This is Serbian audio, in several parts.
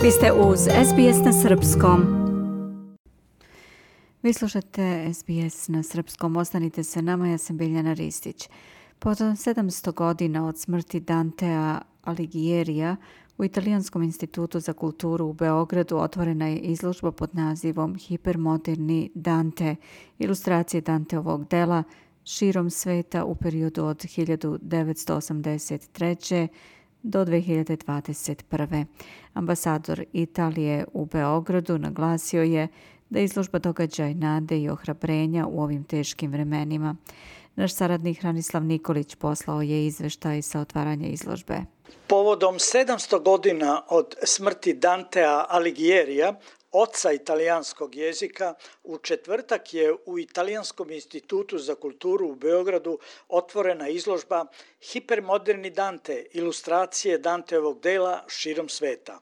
Vi ste uz SBS na srpskom. Vi slušate SBS na srpskom. Ostanite sa nama, ja sam Biljana Ristić. Potom 700 godina od smrti Dantea Alighiera u Italijanskom institutu za kulturu u Beogradu otvorena je izložba pod nazivom Hipermoderni Dante, ilustracije Danteovog dela širom sveta u periodu od 1983. do 2021. Ambasador Italije u Beogradu naglasio je da izložba događaj nade i ohrabrenja u ovim teškim vremenima. Naš saradnik Hranislav Nikolić poslao je izveštaj sa otvaranja izložbe. Povodom 700 godina od smrti Dantea Alighiera, oca italijanskog jezika, u četvrtak je u Italijanskom institutu za kulturu u Beogradu otvorena izložba Hipermoderni Dante, ilustracije Danteovog dela širom sveta.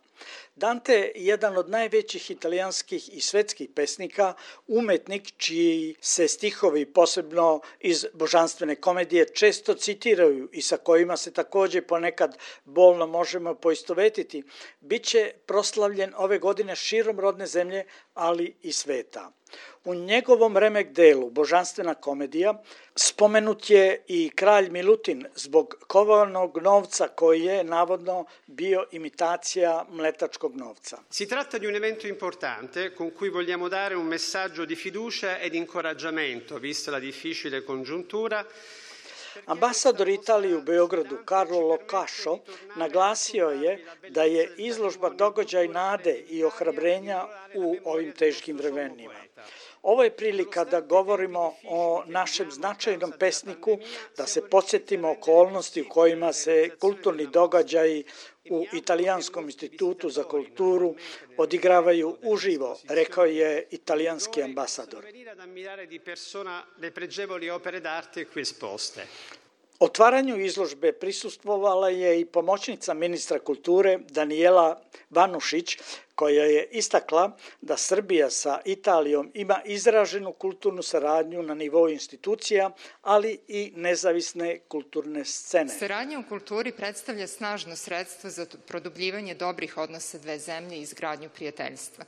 Dante je jedan od najvećih italijanskih i svetskih pesnika, umetnik čiji se stihovi, posebno iz božanstvene komedije, često citiraju i sa kojima se također ponekad bolno možemo poistovetiti, bit će proslavljen ove godine širom rodne zemlje, ali i sveta. U njegovom remek delu Božanstvena komedija spomenut je i kralj Milutin zbog kovanog novca koji je navodno bio imitacija mletačkog novca. Si tratta di un evento importante con cui vogliamo dare un messaggio di fiducia ed incoraggiamento vista la difficile congiuntura. Ambasador Italije u Beogradu Carlo Locascio naglasio je da je izložba događaj nade i ohrabrenja u ovim teškim vremenima. Ovo je prilika da govorimo o našem značajnom pesniku, da se podsjetimo okolnosti u kojima se kulturni događaji u Italijanskom institutu za kulturu odigravaju uživo, rekao je italijanski ambasador. Otvaranju izložbe prisustvovala je i pomoćnica ministra kulture Danijela Vanušić, koja je istakla da Srbija sa Italijom ima izraženu kulturnu saradnju na nivou institucija, ali i nezavisne kulturne scene. Saradnja u kulturi predstavlja snažno sredstvo za produbljivanje dobrih odnosa dve zemlje i izgradnju prijateljstva.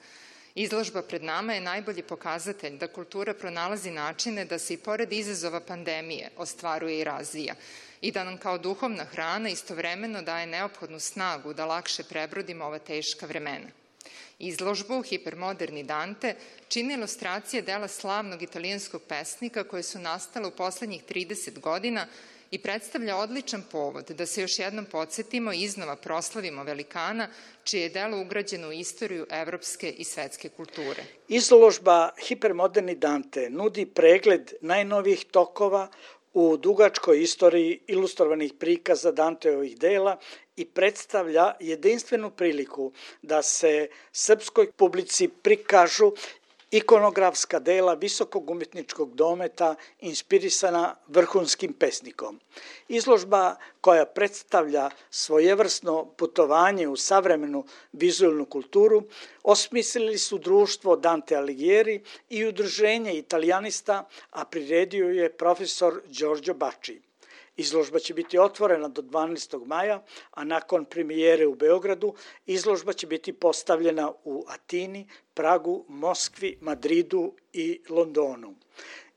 Izložba pred nama je najbolji pokazatelj da kultura pronalazi načine da se i pored izazova pandemije ostvaruje i razvija i da nam kao duhovna hrana istovremeno daje neophodnu snagu da lakše prebrodimo ova teška vremena. Izložbu Hipermoderni Dante čini ilustracije dela slavnog italijanskog pesnika koje su nastale u poslednjih 30 godina i predstavlja odličan povod da se još jednom podsjetimo i iznova proslavimo velikana čije je delo ugrađeno u istoriju evropske i svetske kulture. Izložba Hipermoderni Dante nudi pregled najnovijih tokova u dugačkoj istoriji ilustrovanih prikaza Danteovih dela i predstavlja jedinstvenu priliku da se srpskoj publici prikažu ikonografska dela visokog umetničkog dometa inspirisana vrhunskim pesnikom. Izložba koja predstavlja svojevrsno putovanje u savremenu vizualnu kulturu osmislili su društvo Dante Alighieri i udruženje italijanista, a priredio je profesor Giorgio Bacci. Izložba će biti otvorena do 12. maja, a nakon premijere u Beogradu izložba će biti postavljena u Atini, Pragu, Moskvi, Madridu i Londonu.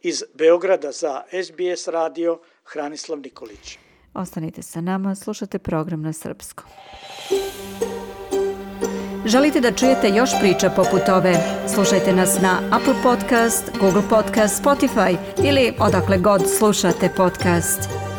Iz Beograda za SBS radio Hranislav Nikolić. Ostanite sa nama, slušate program na srpskom. Želite da čujete još priča poput ove? Slušajte nas na Apple Podcast, Google Podcast, Spotify ili odakle god slušate podcast.